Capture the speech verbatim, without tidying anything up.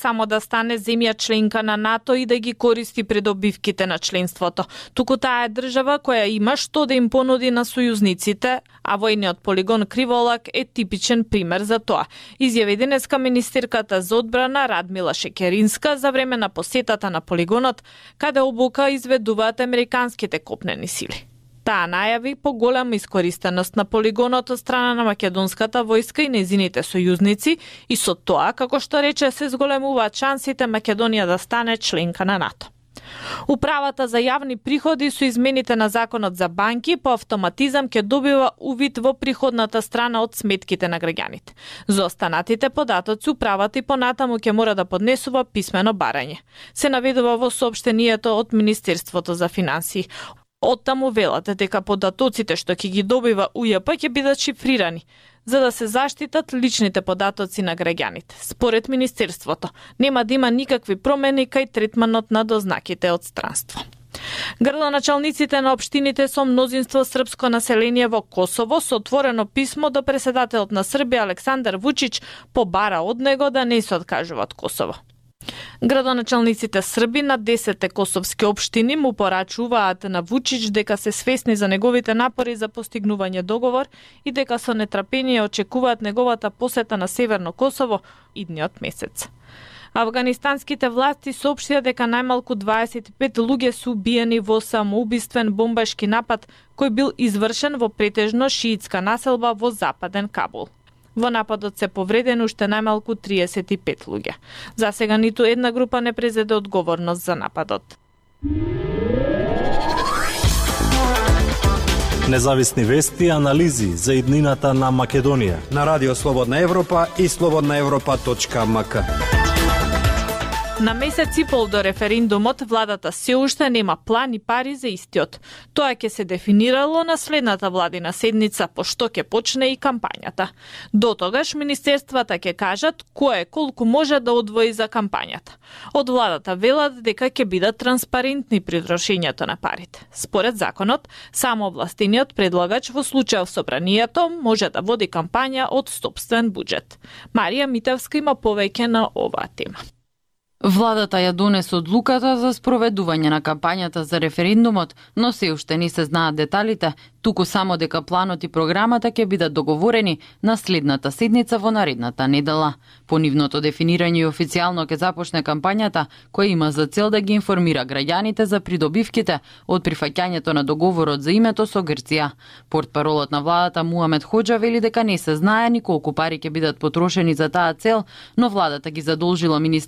само да стане земја членка на НАТО и да ги користи придобивките на членството. Туку таа е држава која има што да им понуди на сојузниците, а војниот полигон Криволак е типичен пример за тоа. Изјави денеска министерката за одбрана Радмила Шекеринска за време на посетата на полигонот, каде обука изведуваат американските копнени сили. Таа најави поголема искористеност на полигонот од страна на македонската војска и нејзините сојузници и со тоа, како што рече, се зголемуваат шансите Македонија да стане членка на НАТО. Управата за јавни приходи со измените на законот за банки по автоматизам ќе добива увид во приходната страна од сметките на граѓаните. За останатите податоци управата и понатаму ќе мора да поднесува писмено барање. Се наведува во соопштението од Министерството за финансии. Оттаму велате дека податоците што ќе ги добива У Ј П ќе бидат шифрирани, за да се заштитат личните податоци на граѓаните. Според Министерството, нема да има никакви промени кај третманот на дознаките од странство. Градоначалниците на општините со мнозинство српско население во Косово со отворено писмо до претседателот на Србија Александар Вучич побара од него да не се откажува од Косово. Градоначалниците Срби на десетте косовски општини му порачуваат на Вучич дека се свесни за неговите напори за постигнување договор и дека со нетрпение очекуваат неговата посета на Северно Косово идниот месец. Афганистанските власти соопштија дека најмалку дваесет и пет луѓе се убиени во самоубиствен бомбашки напад кој бил извршен во претежно шиитска населба во западен Кабул. Во нападот се повредени уште најмалку триесет и пет луѓе. За сега ниту една група не презеде одговорност за нападот. Независни вести и анализи за иднината на Македонија на Радио Слободна Европа и слободна европа точка ем ка. На месец и пол до референдумот, владата се уште нема план и пари за истиот. Тоа ќе се дефинирало на следната владина седница, по што ќе почне и кампањата. До тогаш министерствата ќе кажат кое колку може да одвои за кампањата. Од владата велат дека ќе бидат транспарентни при трошењето на парите. Според законот, само овластениот предлагач во случај собранието може да води кампања од сопствен буџет. Марија Митевска има повеќе на оваа тема. Владата ја донесе одлуката за спроведување на кампањата за референдумот, но се уште не се знаат деталите, туку само дека планот и програмата ќе бидат договорени на следната седница во наредната недела. По нивното дефинирање и официјално ќе започне кампањата, која има за цел да ги информира граѓаните за придобивките од прифаќањето на договорот за името со Грција. Портпаролот на владата Муамед Хоџа вели дека не се знае ни колку пари ќе бидат потрошени за таа цел, но владата ги задолжила министерството